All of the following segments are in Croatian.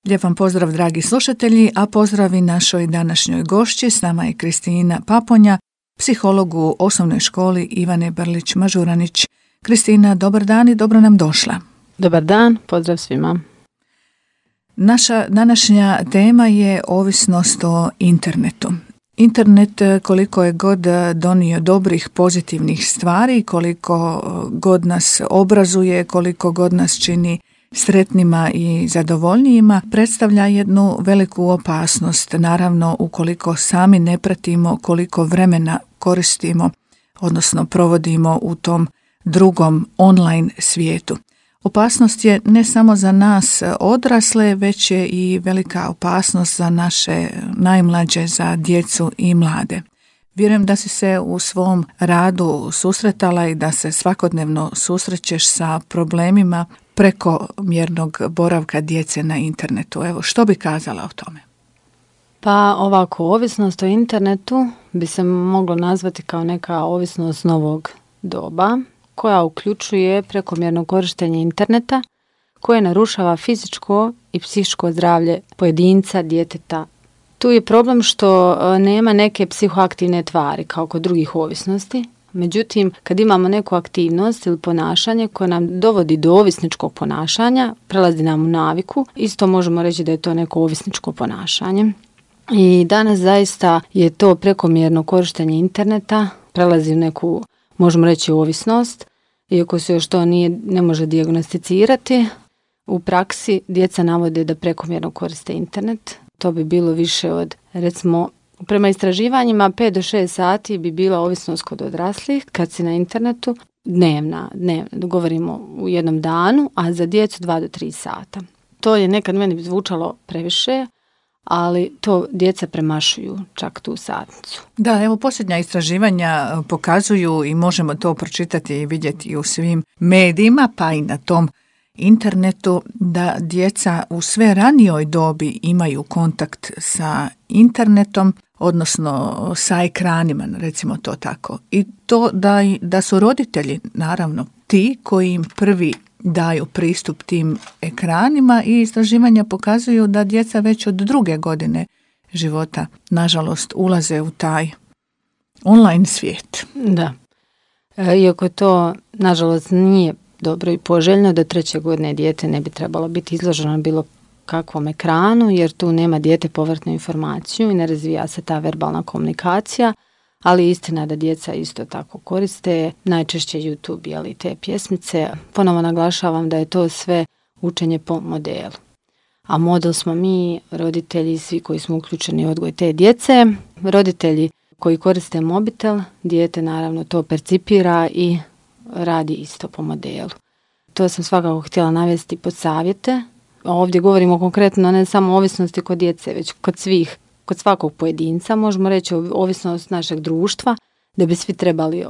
Lijep vam pozdrav, dragi slušatelji, a pozdravi našoj današnjoj gošći. S nama je Kristina Paponja, psiholog u osnovnoj školi Ivane Brlić-Mažuranić. Kristina, dobar dan i dobro nam došla. Dobar dan, pozdrav svima. Naša današnja tema je ovisnost o internetu. Internet, koliko je god donio dobrih, pozitivnih stvari, koliko god nas obrazuje, koliko god nas čini sretnima i zadovoljnijima, predstavlja jednu veliku opasnost, naravno ukoliko sami ne pratimo koliko vremena koristimo, odnosno provodimo u tom drugom online svijetu. Opasnost je ne samo za nas odrasle, već je i velika opasnost za naše najmlađe, za djecu i mlade. Vjerujem da si se u svom radu susretala i da se svakodnevno susrećeš sa problemima prekomjernog boravka djece na internetu. Evo, što bi kazala o tome? Pa ovako, ovisnost o internetu bi se moglo nazvati kao neka ovisnost novog doba, koja uključuje prekomjerno korištenje interneta, koje narušava fizičko i psihičko zdravlje pojedinca, djeteta. Tu je problem što nema neke psihoaktivne tvari kao kod drugih ovisnosti. Međutim, kad imamo neku aktivnost ili ponašanje koje nam dovodi do ovisničkog ponašanja, prelazi nam u naviku, isto možemo reći da je to neko ovisničko ponašanje. I danas zaista je to prekomjerno korištenje interneta, prelazi u neku, možemo reći, ovisnost, iako se još to ne može dijagnosticirati. U praksi djeca navode da prekomjerno koriste internet. To bi bilo više od, recimo, prema istraživanjima 5 do 6 sati bi bila ovisnost kod odraslih kad si na internetu, dnevna, govorimo u jednom danu, a za djecu 2 do 3 sata. To je nekad meni zvučalo previše, ali to djeca premašuju čak tu satnicu. Da, evo posljednja istraživanja pokazuju i možemo to pročitati i vidjeti u svim medijima, pa i na tom internetu, da djeca u sve ranijoj dobi imaju kontakt sa internetom, odnosno sa ekranima, recimo to tako. I to da su roditelji, naravno, ti koji im prvi daju pristup tim ekranima, i istraživanja pokazuju da djeca već od 2. godine života, nažalost, ulaze u taj online svijet. Da. Iako to, nažalost, nije dobro i poželjno, da 3. godine dijete ne bi trebalo biti izloženo bilo kakvom ekranu, jer tu nema dijete povratnu informaciju i ne razvija se ta verbalna komunikacija, ali istina da djeca isto tako koriste najčešće YouTube, ali te pjesmice. Ponovo naglašavam da je to sve učenje po modelu. A model smo mi, roditelji, svi koji smo uključeni u odgoj te djece. Roditelji koji koriste mobitel, dijete naravno to percipira i radi isto po modelu. To sam svakako htjela navesti pod savjete. Ovdje govorimo konkretno ne samo o ovisnosti kod djece, već kod svakog pojedinca, možemo reći ovisnost našeg društva, da bi svi trebali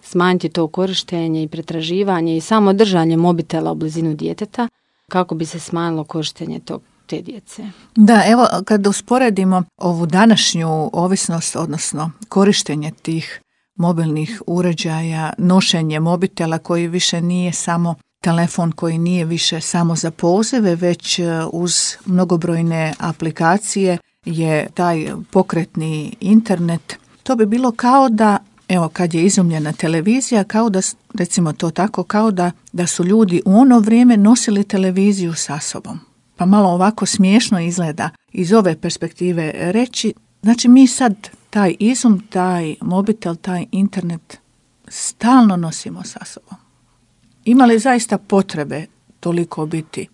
smanjiti to korištenje i pretraživanje i samo držanje mobitela u blizinu djeteta, kako bi se smanjilo korištenje te djece. Da, evo kad usporedimo ovu današnju ovisnost, odnosno korištenje tih mobilnih uređaja, nošenje mobitela koji više nije samo telefon, koji nije više samo za pozive, već uz mnogobrojne aplikacije je taj pokretni internet. To bi bilo kao da, evo kad je izumljena televizija, kao da, recimo to tako, kao da su ljudi u ono vrijeme nosili televiziju sa sobom. Pa malo ovako smiješno izgleda iz ove perspektive reći. Znači mi sad taj izum, taj mobitel, taj internet stalno nosimo sa sobom. Ima li zaista potrebe toliko biti,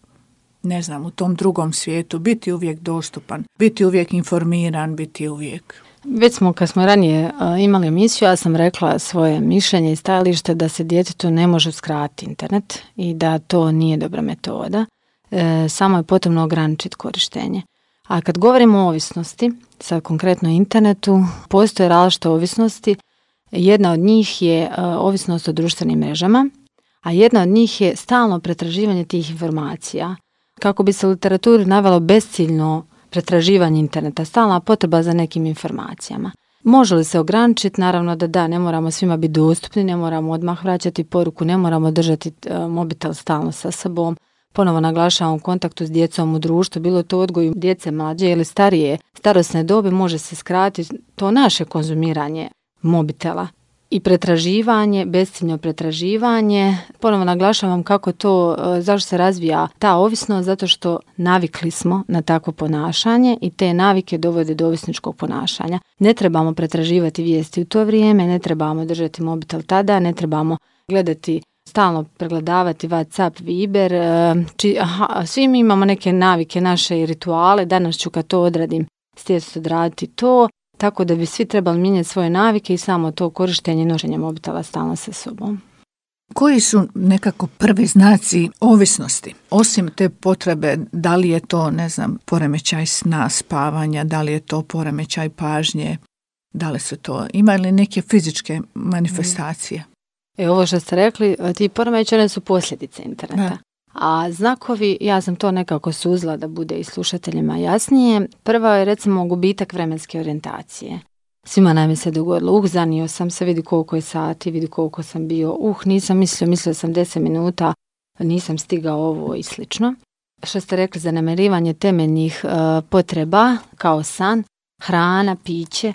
ne znam, u tom drugom svijetu, biti uvijek dostupan, biti uvijek informiran, biti uvijek... Već smo, kad smo ranije imali emisiju, ja sam rekla svoje mišljenje i stajalište da se djetetu ne može uskratiti internet i da to nije dobra metoda. Samo je potrebno ograničiti korištenje. A kad govorimo o ovisnosti, sad konkretno internetu, postoje različite ovisnosti. Jedna od njih je ovisnost o društvenim mrežama, a jedna od njih je stalno pretraživanje tih informacija. Kako bi se u literaturi navelo besciljno pretraživanje interneta, stalna potreba za nekim informacijama. Može li se ograničiti? Naravno da, ne moramo svima biti dostupni, ne moramo odmah vraćati poruku, ne moramo držati mobitel stalno sa sobom. ponovo naglašavam, u kontaktu s djecom u društvu, bilo to odgoju djece mlađe ili starije starosne dobi, može se skratiti to naše konzumiranje mobitela i pretraživanje, besciljno pretraživanje. Ponovo naglašavam kako to, zašto se razvija ta ovisnost, zato što navikli smo na takvo ponašanje i te navike dovode do ovisničkog ponašanja. Ne trebamo pretraživati vijesti u to vrijeme, ne trebamo držati mobitel tada, ne trebamo gledati, stalno pregledavati WhatsApp, Viber, svi mi imamo neke navike, naše i rituale, danas ću kad to odradim, stjecati odraditi to, tako da bi svi trebali mijenjati svoje navike i samo to korištenje i nošenje mobitela stalno sa sobom. Koji su nekako prvi znaci ovisnosti? Osim te potrebe, da li je to, poremećaj sna, spavanja, da li je to poremećaj pažnje, da li su to, ima li neke fizičke manifestacije? Ovo što ste rekli, ti poremećaji su posljedice interneta. Da. A znakovi, ja sam to nekako suzla da bude i slušateljima jasnije. Prva je recimo gubitak vremenske orijentacije. Svima nam je se dogodilo, zanio sam se, vidi koliko je sati, vidi koliko sam bio, nisam mislio sam 10 minuta, nisam stigao ovo i slično. Što ste rekli, zanemarivanje temeljnih potreba kao san, hrana, piće.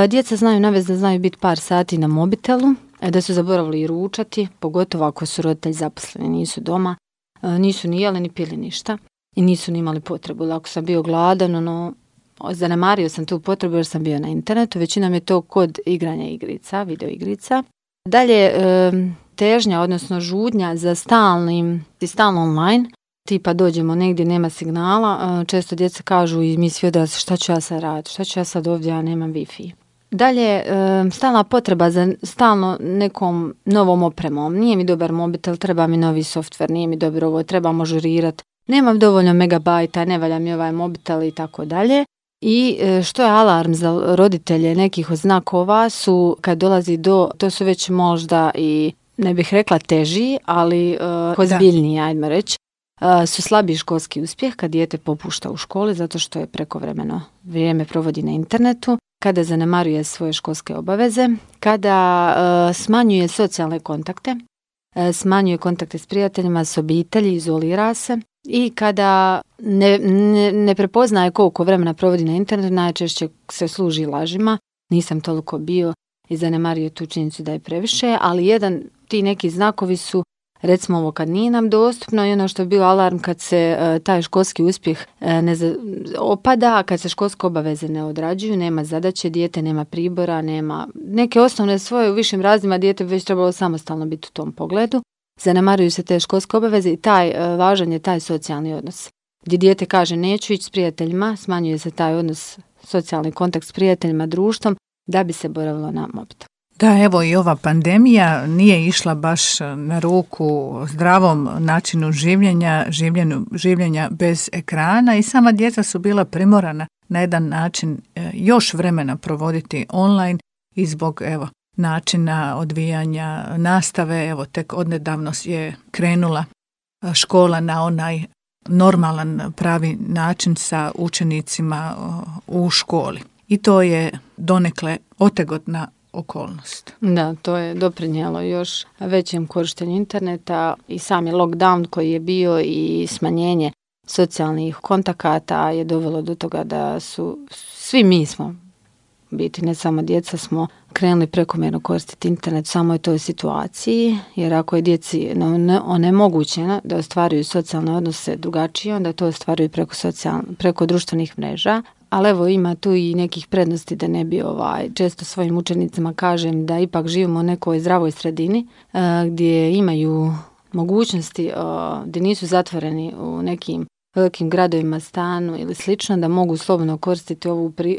Djeca znaju navesti da znaju biti par sati na mobitelu, da su zaboravili i ručati, pogotovo ako su roditelji zaposleni, nisu doma, nisu ni jeli ni pili ništa i nisu ni imali potrebu. Ako sam bio gladan, zanemario sam tu potrebu jer sam bio na internetu, većinom je to kod igranja igrica, video igrica. Dalje, težnja, odnosno žudnja za stalno online, tipa dođemo negdje, nema signala, često djeca kažu i mi svi odrasli, šta ću ja sad raditi, šta ću ja sad ovdje, ja nemam Wi-Fi. Dalje, stalna potreba za stalno nekom novom opremom. Nije mi dobar mobitel, treba mi novi softver, nije mi dobro ovo, trebamo žurirati, nemam dovoljno megabajta, ne valja mi ovaj mobitel i tako dalje. I što je alarm za roditelje nekih od znakova su kad dolazi to su već možda i, ne bih rekla teži, ali ozbiljniji, ajmo reći, su slabiji školski uspjeh kad dijete popušta u školi zato što je prekovremeno vrijeme provodi na internetu, kada zanemaruje svoje školske obaveze, kada smanjuje socijalne kontakte, smanjuje kontakte s prijateljima, s obitelji, izolira se i kada ne prepoznaje koliko vremena provodi na internetu, najčešće se služi lažima, nisam toliko bio i zanemario tu činjenicu da je previše, ali ti neki znakovi su recimo ovo kad nije nam dostupno i ono što je bio alarm kad se taj školski uspjeh opada, kad se školske obaveze ne odrađuju, nema zadaće, dijete nema pribora, nema neke osnovne svoje u višim razredima, dijete bi već trebalo samostalno biti u tom pogledu. Zanemaruju se te školske obaveze i važan je taj socijalni odnos. Gdje dijete kaže neću ići s prijateljima, smanjuje se taj odnos, socijalni kontakt s prijateljima, društvom, da bi se boravilo na mobitel. Da, evo i ova pandemija nije išla baš na ruku zdravom načinu življenja bez ekrana i sama djeca su bila primorana na jedan način još vremena provoditi online i zbog načina odvijanja nastave, tek odnedavno je krenula škola na onaj normalan pravi način sa učenicima u školi. I to je donekle otegotna okolnost. Da, to je doprinijelo još većem korištenju interneta i sami lockdown koji je bio i smanjenje socijalnih kontakata je dovelo do toga da su svi mi smo, biti ne samo djeca, smo krenuli prekomjerno koristiti internet u samoj toj situaciji, jer ako je djeci onemogućeno da ostvaruju socijalne odnose drugačije, onda to ostvaruju preko društvenih mreža. Ali evo ima tu i nekih prednosti da ne bi često svojim učenicima kažem da ipak živimo u nekoj zdravoj sredini gdje imaju mogućnosti, gdje nisu zatvoreni u nekim velikim gradovima, stanu ili slično, da mogu slobodno koristiti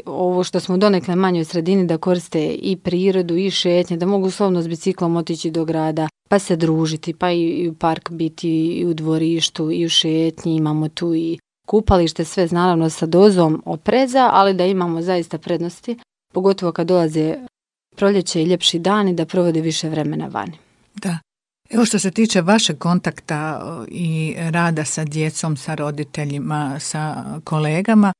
ovo što smo u donekle manjoj sredini, da koriste i prirodu i šetnje, da mogu slobodno s biciklom otići do grada, pa se družiti, pa i u park biti, i u dvorištu, i u šetnji, imamo tu i kupalište, sve naravno sa dozom opreza, ali da imamo zaista prednosti, pogotovo kad dolaze proljeće i ljepši dani, da provode više vremena vani. Da. Evo što se tiče vašeg kontakta i rada sa djecom, sa roditeljima, sa kolegama,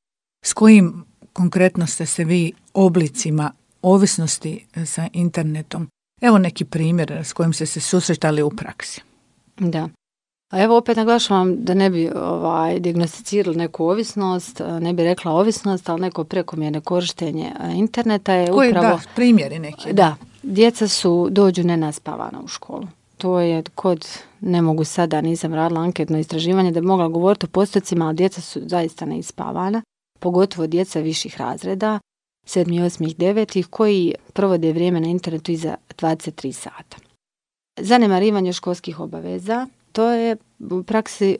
s kojim konkretno ste se vi oblicima ovisnosti sa internetom? Evo neki primjer s kojim ste se susretali u praksi. Da. A evo opet naglašavam da ne bi dijagnosticirali neku ovisnost, ne bi rekla ovisnost, ali neko prekomjerno korištenje interneta je koji, upravo... Da, primjeri neki. Da, djeca dođu nenaspavana u školu. To je ne mogu sada, nisam radila anketno istraživanje da bi mogla govoriti o postocima, ali djeca su zaista neispavana, pogotovo djeca viših razreda, 7., 8., 9. koji provode vrijeme na internetu iza 23 sata. Zanemarivanje školskih obaveza, to je u praksi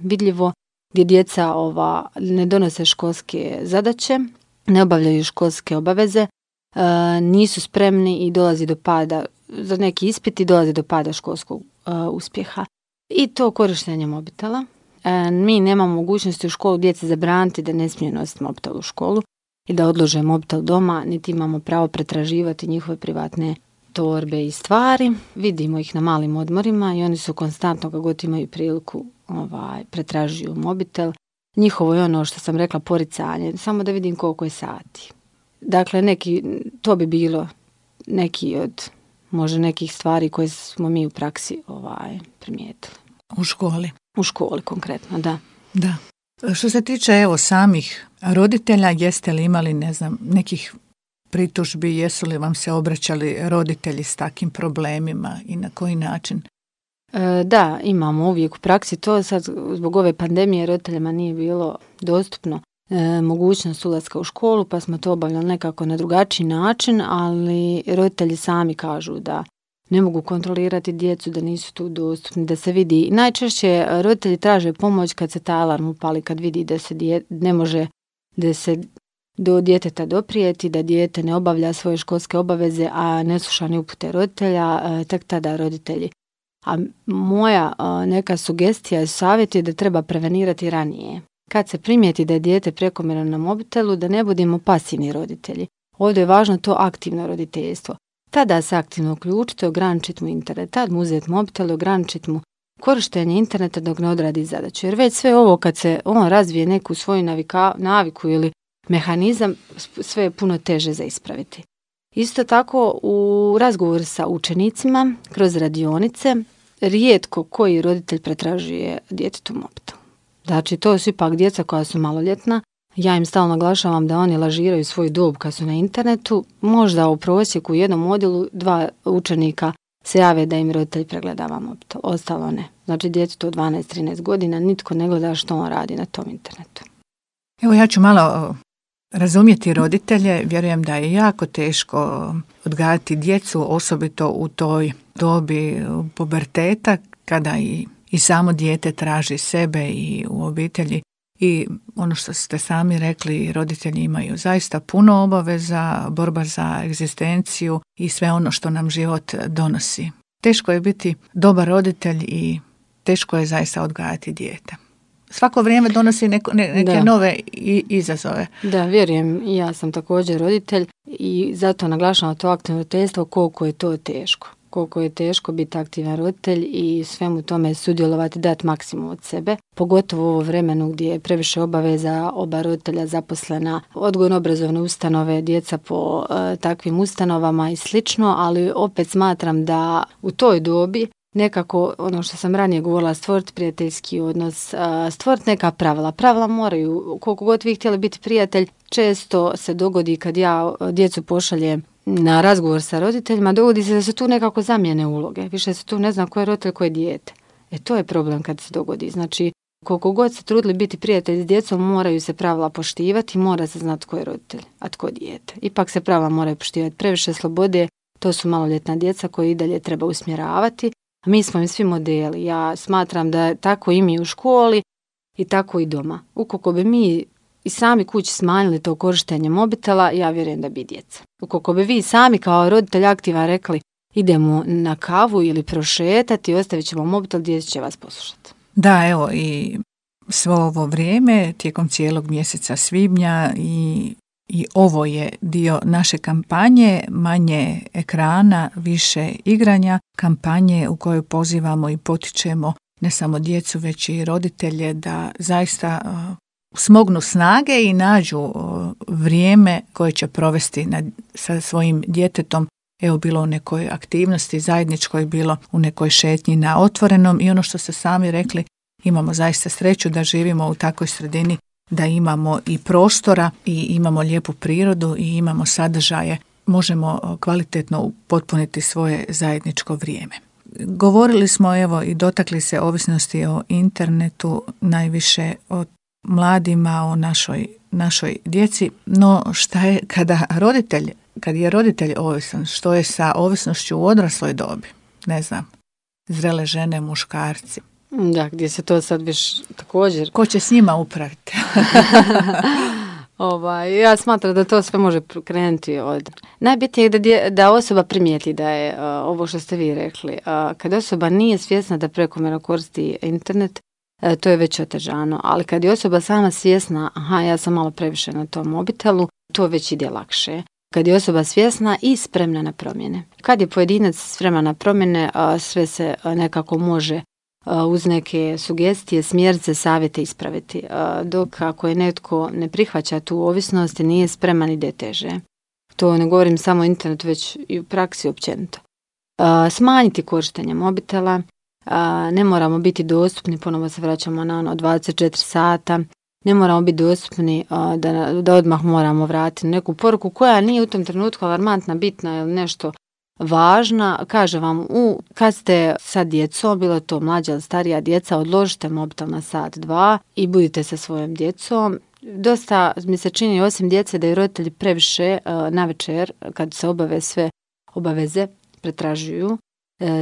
vidljivo gdje djeca ne donose školske zadaće, ne obavljaju školske obaveze, nisu spremni i dolazi do pada, za neki ispit i dolazi do pada školskog uspjeha. I to korištenje mobitela. Mi nemamo mogućnosti u školu djeci zabraniti da ne smiju nositi mobitel u školu i da odlože mobitel doma, niti imamo pravo pretraživati njihove privatne torbe i stvari. Vidimo ih na malim odmorima i oni su konstantno kako god imaju priliku pretražuju mobitel. Njihovo je ono što sam rekla poricanje, samo da vidim koliko je sati. Dakle, to bi bilo neki od možda nekih stvari koje smo mi u praksi primijetili. U školi? U školi konkretno, da. Da. Što se tiče samih roditelja, jeste li imali nekih pritužbi, jesu li vam se obraćali roditelji s takim problemima i na koji način? Da, imamo uvijek u praksi to. Sad zbog ove pandemije roditeljima nije bilo dostupno mogućnost ulaska u školu, pa smo to obavljali nekako na drugačiji način, ali roditelji sami kažu da ne mogu kontrolirati djecu, da nisu tu dostupni, da se vidi. Najčešće roditelji traže pomoć kad se taj alarm upali, kad vidi da se ne može da se do djeteta doprijeti, da dijete ne obavlja svoje školske obaveze, a ne sluša ni upute roditelja, tek tada roditelji. A moja neka sugestija i savjet je da treba prevenirati ranije. Kad se primijeti da je dijete prekomjerno na mobitelu, da ne budemo pasivni roditelji. Ovdje je važno to aktivno roditeljstvo. Tada se aktivno uključiti, ograničiti mu internet, tad mu uzeti mobitel, ograničiti mu korištenje interneta dok ne odradi zadaću. Jer već sve ovo kad se on razvije neku svoju naviku ili mehanizam, sve je puno teže za ispraviti. Isto tako u razgovoru sa učenicima kroz radionice rijetko koji roditelj pretražuje djetetu mobitel. Znači to su ipak djeca koja su maloljetna. Ja im stalno naglašavam da oni lažiraju svoju dob kad su na internetu. Možda u prosjeku u jednom odjelu 2 učenika se jave da im roditelj pregledava mobitel. Ostalo ne. Znači djetetu od 12-13 godina nitko ne gleda što on radi na tom internetu. Evo ja ću malo razumjeti roditelje. Vjerujem da je jako teško odgajati djecu, osobito u toj dobi puberteta kada i samo dijete traži sebe i u obitelji. I ono što ste sami rekli, roditelji imaju zaista puno obaveza, borba za egzistenciju i sve ono što nam život donosi. Teško je biti dobar roditelj i teško je zaista odgajati dijete. Svako vrijeme donosi neke nove izazove. Da, vjerujem, i ja sam također roditelj i zato naglašavam to aktivno roditeljstvo koliko je to teško. Koliko je teško biti aktivan roditelj i svemu tome sudjelovati, dati maksimum od sebe. Pogotovo u ovo vremenu gdje je previše obaveza, oba roditelja zaposlena, odgojno-obrazovne ustanove, djeca po takvim ustanovama i slično, ali opet smatram da u toj dobi nekako, ono što sam ranije govorila, stvoriti prijateljski odnos, stvoriti neka pravila. Pravila moraju, koliko god vi htjeli biti prijatelj, često se dogodi kad ja djecu pošaljem na razgovor sa roditeljima, dogodi se da se tu nekako zamijene uloge. Više se tu ne zna ko je roditelj, ko je dijete. To je problem kad se dogodi. Znači, koliko god se trudili biti prijatelji s djecom, moraju se pravila poštivati, mora se znati tko je roditelj, a tko dijete. Ipak se pravila moraju poštivati. Previše slobode, to su maloljetna djeca koje i dalje treba usmjeravati. A mi smo im svi modeli. Ja smatram da tako i mi u školi i tako i doma. Ukoliko bi mi i sami kući smanjili to korištenje mobitela, ja vjerujem da bi djeca. Ukoliko bi vi sami kao roditelj aktivan rekli idemo na kavu ili prošetati, ostavit ćemo mobitel, djeca će vas poslušati. Da, evo i svo ovo vrijeme tijekom cijelog mjeseca svibnja i ovo je dio naše kampanje, manje ekrana, više igranja, kampanje u kojoj pozivamo i potičemo ne samo djecu, već i roditelje da zaista smognu snage i nađu vrijeme koje će provesti sa svojim djetetom evo bilo u nekoj aktivnosti zajedničkoj, bilo u nekoj šetnji na otvorenom i ono što ste sami rekli, imamo zaista sreću da živimo u takvoj sredini, da imamo i prostora i imamo lijepu prirodu i imamo sadržaje, možemo kvalitetno potpuniti svoje zajedničko vrijeme. Govorili smo evo i dotakli se ovisnosti o internetu, najviše o mladima, o našoj djeci, no šta je kad je roditelj ovisan, što je sa ovisnošću u odrasloj dobi? Ne znam, zrele žene, muškarci. Da, gdje se to sad viš također... Ko će s njima upraviti? Ja smatram da to sve može krenuti od... Najbitnije je da osoba primijeti da je ovo što ste vi rekli. Kad osoba nije svjesna da prekomjerno koristi internet, to je već otežano. Ali kad je osoba sama svjesna, ja sam malo previše na tom mobitelu, to već ide lakše. Kad je osoba svjesna i spremna na promjene. Kad je pojedinac spreman na promjene, sve se nekako može uz neke sugestije, smjernice, savjete ispraviti. Dok ako je netko ne prihvaća tu ovisnost, nije spreman, ide teže. To ne govorim samo o internetu, već i u praksi općenito. Smanjiti korištenje mobitela, ne moramo biti dostupni, ponovo se vraćamo na 24 sata, ne moramo biti dostupni da odmah moramo vratiti neku poruku koja nije u tom trenutku alarmantna, bitna ili nešto važna. Kaže vam, kad ste sa djecom, bilo to mlađa ili starija djeca, odložite mobitel na sat, 2 i budite sa svojom djecom. Dosta mi se čini, osim djece, da i roditelji previše navečer, kad se obave sve obaveze, pretražuju,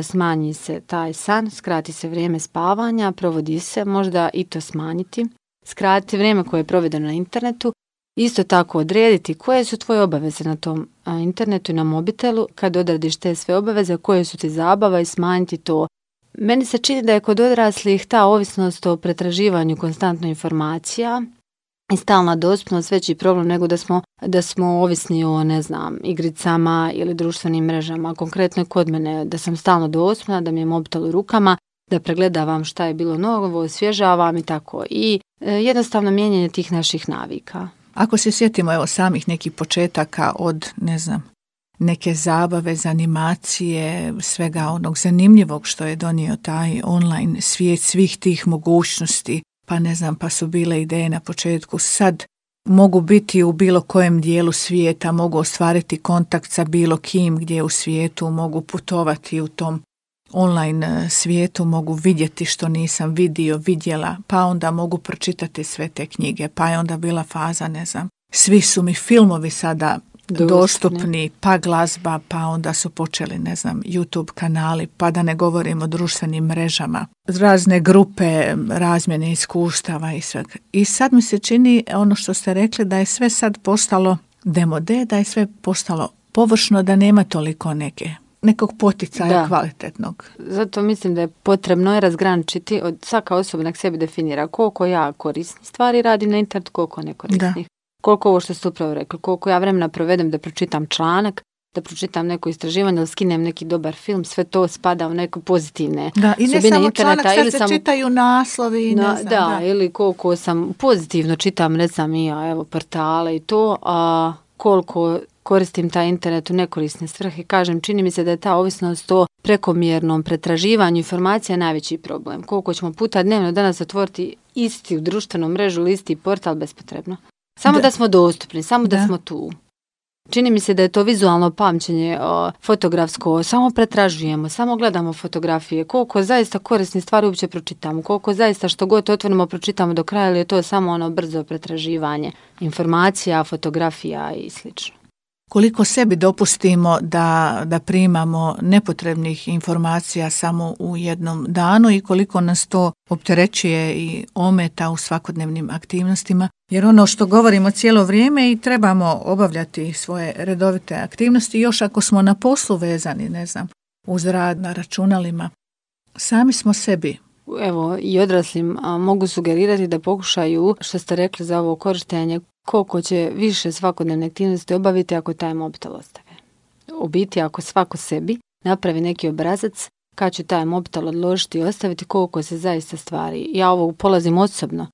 smanji se taj san, skrati se vrijeme spavanja, provodi se, možda i to smanjiti, skratiti vrijeme koje je provedeno na internetu, isto tako odrediti koje su tvoje obaveze na tom internetu i na mobitelu, kad odradiš te sve obaveze, koje su ti zabava i smanjiti to. Meni se čini da je kod odraslih ta ovisnost o pretraživanju konstantno informacija i stalna dostupnost veći problem nego da smo ovisni o, igricama ili društvenim mrežama. Konkretno je kod mene da sam stalno dostupna, da mi je mobitel u rukama, da pregledavam šta je bilo novo, osvježavam i tako. I jednostavno mijenjanje tih naših navika. Ako se sjetimo evo samih nekih početaka od, neke zabave, animacije, svega onog zanimljivog što je donio taj online svijet, svih tih mogućnosti, pa su bile ideje na početku, sad mogu biti u bilo kojem dijelu svijeta, mogu ostvariti kontakt sa bilo kim gdje u svijetu, mogu putovati u tom online svijetu, mogu vidjeti što nisam vidjela, pa onda mogu pročitati sve te knjige, pa je onda bila faza, svi su mi filmovi sada dostupni, pa glazba, pa onda su počeli, YouTube kanali, pa da ne govorim o društvenim mrežama, razne grupe, razmjene iskustava i svega. I sad mi se čini ono što ste rekli, da je sve sad postalo demode, da je sve postalo površno, da nema toliko nekog poticaja kvalitetnog. Zato mislim da je potrebno razgraničiti, od svaka osoba nek sebi definira koliko ja korisnih stvari radim na internetu, koliko nekorisnih. Koliko ovo što ste upravo rekli, koliko ja vremena provedem da pročitam članak, da pročitam neko istraživanje ili skinem neki dobar film, sve to spada u neke pozitivne i ne samo članak, sad se čitaju naslovi. Ili koliko sam pozitivno čitam, portale i to, a koliko koristim taj internet u nekorisne svrhe. Kažem, čini mi se da je ta ovisnost o prekomjernom pretraživanju informacija najveći problem. Koliko ćemo puta dnevno danas otvoriti isti u društvenom mrežu ili isti portal bespotrebno. Samo da smo dostupni, samo da smo tu. Čini mi se da je to vizualno pamćenje, fotografsko, samo pretražujemo, samo gledamo fotografije, koliko zaista korisne stvari uopće pročitamo, koliko zaista što god otvorimo pročitamo do kraja, ili je to samo brzo pretraživanje informacija, fotografija i slično. Koliko sebi dopustimo da primamo nepotrebnih informacija samo u jednom danu i koliko nas to opterećuje i ometa u svakodnevnim aktivnostima. Jer ono što govorimo cijelo vrijeme i trebamo obavljati svoje redovite aktivnosti, još ako smo na poslu vezani, uz rad na računalima, sami smo sebi. Evo, i odraslim mogu sugerirati da pokušaju, što ste rekli za ovo korištenje, koliko će više svakodnevne aktivnosti obaviti ako taj mobitel ostave. U biti, ako svako sebi napravi neki obrazac kad ću taj mobitel odložiti i ostaviti, koliko se zaista stvari. Ja ovo polazim osobno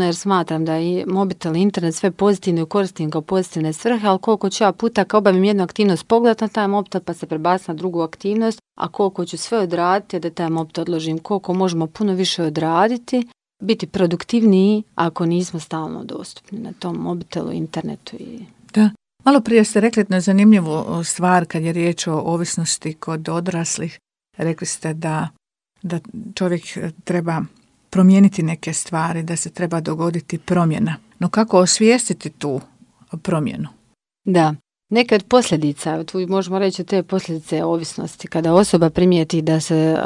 jer smatram da je mobitel i internet sve pozitivno i koristim kao pozitivne svrhe, ali koliko ću ja puta kad obavim jednu aktivnost pogledati na taj mobitel pa se prebaciti na drugu aktivnost, a koliko ću sve odraditi da taj mobitel odložim, koliko možemo puno više odraditi, biti produktivniji ako nismo stalno dostupni na tom mobitelu, internetu. Da. Malo prije ste rekli jednu zanimljivu stvar kad je riječ o ovisnosti kod odraslih. Rekli ste da čovjek treba promijeniti neke stvari, da se treba dogoditi promjena. No kako osvijestiti tu promjenu? Da, neke od posljedica, tu možemo reći te posljedice ovisnosti, kada osoba primijeti da se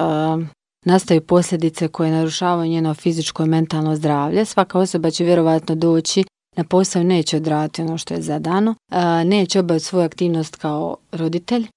nastaju posljedice koje narušavaju njeno fizičko i mentalno zdravlje, svaka osoba će vjerovatno doći na posao, neće odraditi ono što je zadano, neće obaviti svoju aktivnost kao roditelj,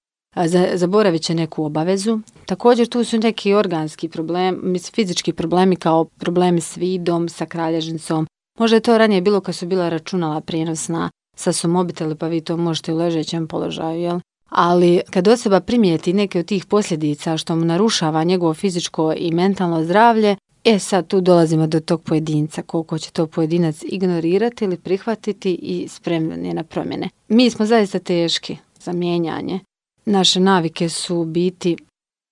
zaboravit će neku obavezu. Također tu su neki organski problemi, fizički problemi kao problemi s vidom, sa kralježnicom. Možda je to ranije bilo kad su bila računala prijenosna, sad su mobiteli pa vi to možete u ležećem položaju, jel? Ali kad osoba primijeti neke od tih posljedica što mu narušava njegovo fizičko i mentalno zdravlje, sad tu dolazimo do tog pojedinca, koliko će to pojedinac ignorirati ili prihvatiti i spremni na promjene. Mi smo zaista teški za mijenjanje. Naše navike su biti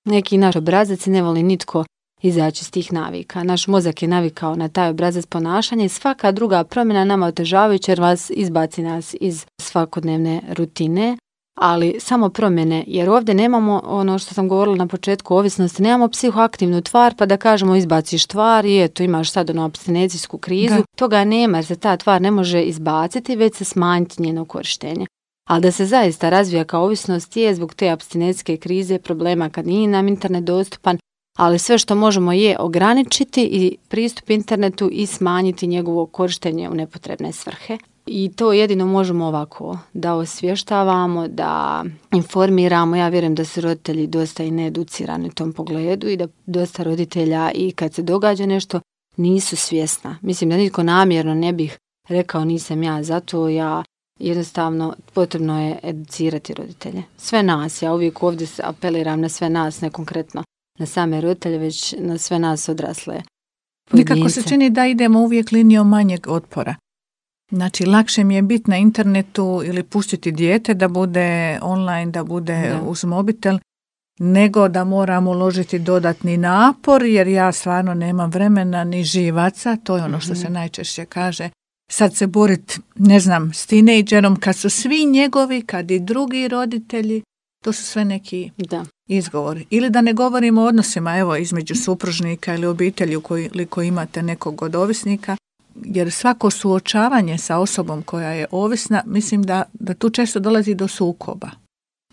neki naš obrazac i ne voli nitko izaći iz tih navika. Naš mozak je navikao na taj obrazac ponašanja i svaka druga promjena nama otežavajuća jer izbaci nas iz svakodnevne rutine. Ali samo promjene, jer ovdje nemamo ono što sam govorila na početku ovisnosti, nemamo psihoaktivnu tvar pa da kažemo izbaciš tvar i eto imaš sad ono apstinecijsku krizu. Da. Toga nema jer se ta tvar ne može izbaciti, već se smanjiti njeno korištenje. Ali da se zaista razvija kao ovisnost je zbog te apstinencijske krize, problema kad nije nam internet dostupan, ali sve što možemo je ograničiti i pristup internetu i smanjiti njegovo korištenje u nepotrebne svrhe. I to jedino možemo ovako, da osvještavamo, da informiramo. Ja vjerujem da su roditelji dosta i needucirani u tom pogledu i da dosta roditelja i kad se događa nešto nisu svjesna. Mislim da nitko namjerno ne bih rekao nisam ja, zato ja jednostavno potrebno je educirati roditelje. Sve nas, ja uvijek ovdje apeliram na sve nas, ne konkretno na same roditelje, već na sve nas odrasle pojedince. Nikako se čini da idemo uvijek linijom manjeg otpora. Znači, lakše mi je biti na internetu ili pustiti dijete da bude online, da bude uz mobitel, nego da moram uložiti dodatni napor, jer ja stvarno nemam vremena ni živaca, to je ono što se najčešće kaže. Sad se boriti, ne znam, s tinejdžerom, kad su svi njegovi, kad i drugi roditelji, to su sve neki izgovori. Ili da ne govorimo o odnosima, evo, između supružnika ili obitelji ukoliko imate nekog od ovisnika, jer svako suočavanje sa osobom koja je ovisna, mislim da tu često dolazi do sukoba.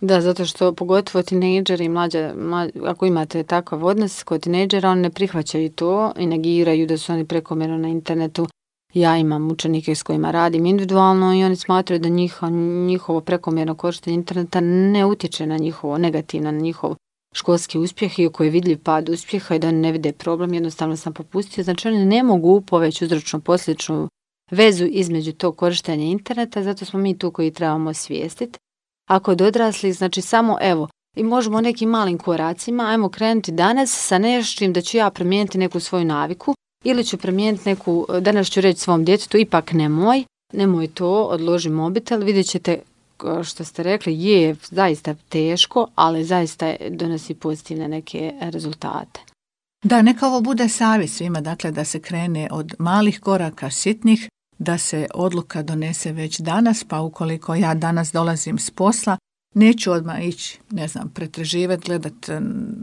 Da, zato što pogotovo tinejdžeri i mlađa, ako imate takav odnos kod tinejdžera, oni ne prihvaćaju to i negiraju da su oni prekomjerno na internetu. Ja imam učenike s kojima radim individualno i oni smatraju da njihovo prekomjerno korištenje interneta ne utječe na njihovo, negativno na njihov školski uspjeh i koji je vidljiv pad uspjeha i da ne vide problem, jednostavno sam popustio. Znači oni ne mogu poveći uzročno posljedičnu vezu između tog korištenja interneta, zato smo mi tu koji trebamo osvijestiti. A kod odraslih, znači samo evo, i možemo nekim malim koracima, ajmo krenuti danas sa nečim da ću ja promijeniti neku svoju naviku ili ću promijeniti neku, danas ću reći svom djetetu, ipak nemoj to, odloži mobitel, vidjet ćete što ste rekli, je zaista teško, ali zaista donosi pozitivne neke rezultate. Da, neka ovo bude savjet svima, dakle da se krene od malih koraka, sitnih, da se odluka donese već danas, pa ukoliko ja danas dolazim s posla, neću odmah ići, pretraživati, gledati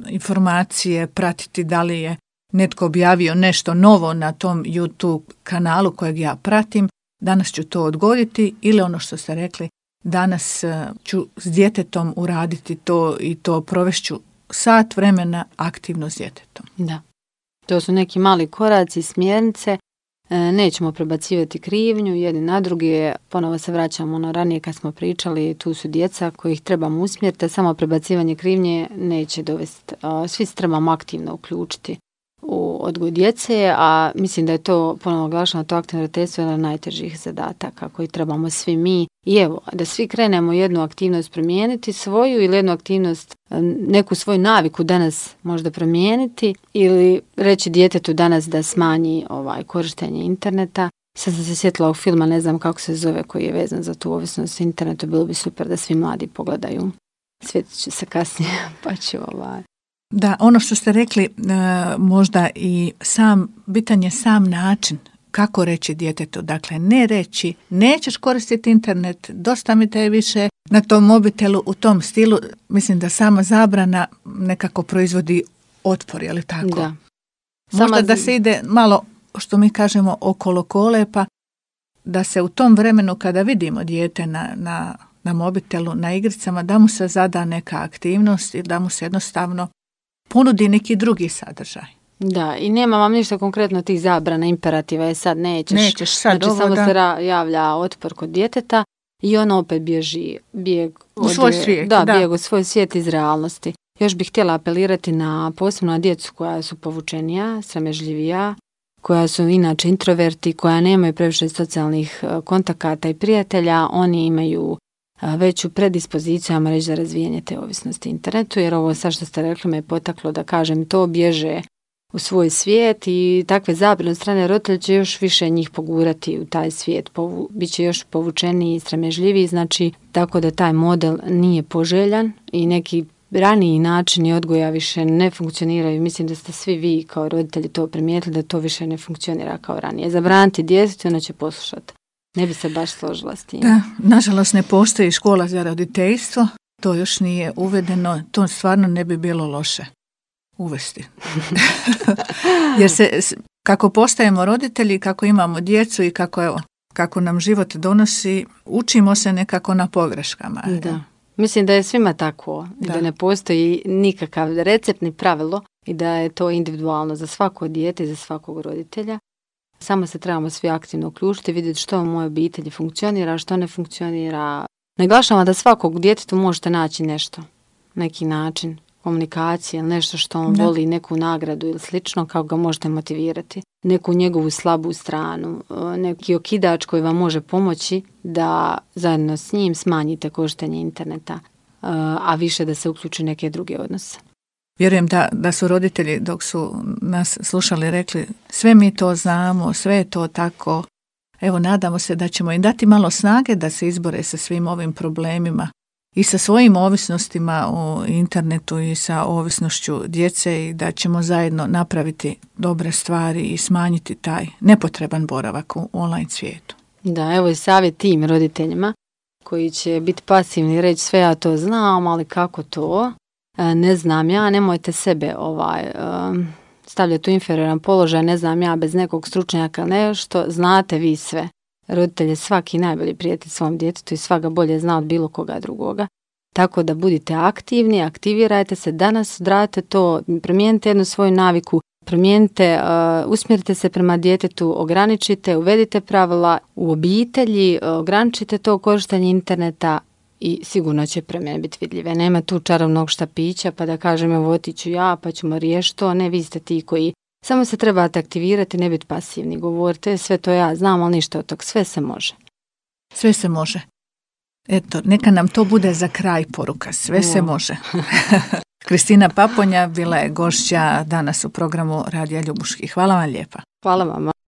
informacije, pratiti da li je netko objavio nešto novo na tom YouTube kanalu kojeg ja pratim, danas ću to odgoditi ili ono što ste rekli, danas ću s djetetom uraditi to i to provešću sat vremena aktivno s djetetom. Da, to su neki mali koraci, smjernice, nećemo prebacivati krivnju jedni na druge, ponovo se vraćamo na ranije kad smo pričali, tu su djeca kojih trebamo usmjeriti, a samo prebacivanje krivnje neće dovesti, svi se trebamo aktivno uključiti u odgoj djece, a mislim da je to, ponovno naglašeno, to aktivno roditeljstvo jedan od najtežih zadataka koji trebamo svi mi. I evo, da svi krenemo jednu aktivnost promijeniti svoju ili jednu aktivnost, neku svoju naviku danas možda promijeniti ili reći djetetu danas da smanji korištenje interneta. Sad sam se sjetila ovog filma, ne znam kako se zove, koji je vezan za tu ovisnost internetu, bilo bi super da svi mladi pogledaju. Sjetit ću se kasnije, pa ću Da, ono što ste rekli, možda i bitan je sam način kako reći djetetu. Dakle, ne reći, nećeš koristiti internet, dosta mi te više na tom mobitelu, u tom stilu. Mislim da sama zabrana nekako proizvodi otpor, je li tako? Da. Možda da se ide malo, što mi kažemo, okolo kolepa, da se u tom vremenu kada vidimo dijete na mobitelu, na igricama, da mu se zada neka aktivnost i da mu se jednostavno ponudi neki drugi sadržaj. Da, i nema vam ništa konkretno tih zabrana, imperativa, je sad nećeš sad znači, samo se javlja otpor kod djeteta i ono opet bijeg u svoj svijet. Bijeg u svoj svijet iz realnosti. Još bih htjela apelirati posebno na djecu koja su povučenija, sramežljivija, koja su inače introverti, koja nemaju previše socijalnih kontakata i prijatelja. Oni imaju veću predispoziciju, ajmo reći, za razvijanje te ovisnosti internetu, jer ovo sad što ste rekli me je potaklo da kažem to, bježe u svoj svijet i takve zabrane od strane roditelja će još više njih pogurati u taj svijet, bit će još povučeniji i sramežljiviji, znači tako da taj model nije poželjan i neki raniji načini odgoja više ne funkcioniraju. Mislim da ste svi vi kao roditelji to primijetili da to više ne funkcionira kao ranije. Zabraniti djetetu, ona će poslušati. Ne bi se baš složila s tim. Da, nažalost ne postoji škola za roditeljstvo, to još nije uvedeno, to stvarno ne bi bilo loše uvesti. Jer kako postajemo roditelji, kako imamo djecu i kako nam život donosi, učimo se nekako na pogreškama. Da. Mislim da je svima tako, da ne postoji nikakav recept ni pravilo i da je to individualno za svako dijete i za svakog roditelja. Samo se trebamo svi aktivno uključiti, vidjeti što u mojoj obitelji funkcionira, što ne funkcionira. Naglašavam da svakog djetetu možete naći nešto, neki način komunikacije, nešto što on voli, neku nagradu ili slično, kako ga možete motivirati. Neku njegovu slabu stranu, neki okidač koji vam može pomoći da zajedno s njim smanjite korištenje interneta, a više da se uključi neke druge odnose. Vjerujem da su roditelji dok su nas slušali rekli sve mi to znamo, sve je to tako. Evo, nadamo se da ćemo im dati malo snage da se izbore sa svim ovim problemima i sa svojim ovisnostima u internetu i sa ovisnošću djece i da ćemo zajedno napraviti dobre stvari i smanjiti taj nepotreban boravak u online svijetu. Da, evo i savjet tim roditeljima koji će biti pasivni i reći sve ja to znam, ali kako to? Ne znam ja, nemojte sebe stavljati u inferioran položaj, ne znam ja, bez nekog stručnjaka nešto, znate vi sve. Roditelj je svaki najbolji prijatelj svom djetetu i svaka bolje zna od bilo koga drugoga. Tako da budite aktivni, aktivirajte se danas, odradite to, promijenite jednu svoju naviku, promijenite, usmjerite se prema djetetu, ograničite, uvedite pravila u obitelji, ograničite to korištenje interneta i sigurno će promjene biti vidljive. Nema tu čarobnog štapića pa da kažem evo otiću ja pa ćemo riješiti to, ne vi ste ti koji samo se trebate aktivirati, ne biti pasivni, govorite sve to ja znam, ali ništa od tog, sve se može. Sve se može. Eto, neka nam to bude za kraj poruka, sve se može. Kristina Paponja bila je gošća danas u programu Radija Ljubuški. Hvala vam lijepa. Hvala vama.